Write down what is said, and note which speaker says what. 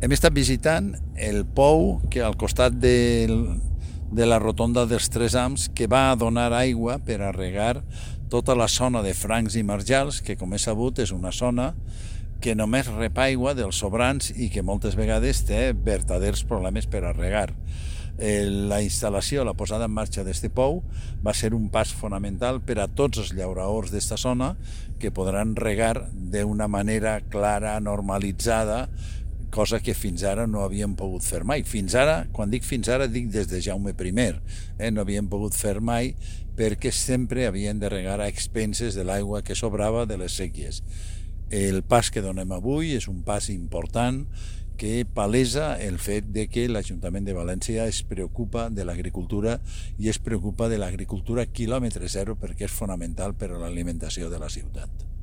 Speaker 1: Hem estat visitant el pou que al costat de la rotonda dels Tres Ams, que va a donar aigua per a regar tota la zona de Francs i Marjals, que com és sabut és una zona que només rep aigua dels sobrants i que moltes vegades té verdaders problemes per a regar. La instal·lació, la posada en marxa d'este pou va ser un pas fonamental per a tots els llauraors d'esta zona, que podran regar d'una manera clara, normalitzada, cosa que fins ara no havíem pogut fer mai. Fins ara, quan dic fins ara, dic des de Jaume I, no havíem pogut fer mai perquè sempre havien de regar a expenses de l'aigua que sobrava de les séquies. El pas que donem avui és un pas important que palesa el fet de que l'Ajuntament de València es preocupa de l'agricultura i es preocupa de l'agricultura quilòmetre zero perquè és fonamental per a l'alimentació de la ciutat.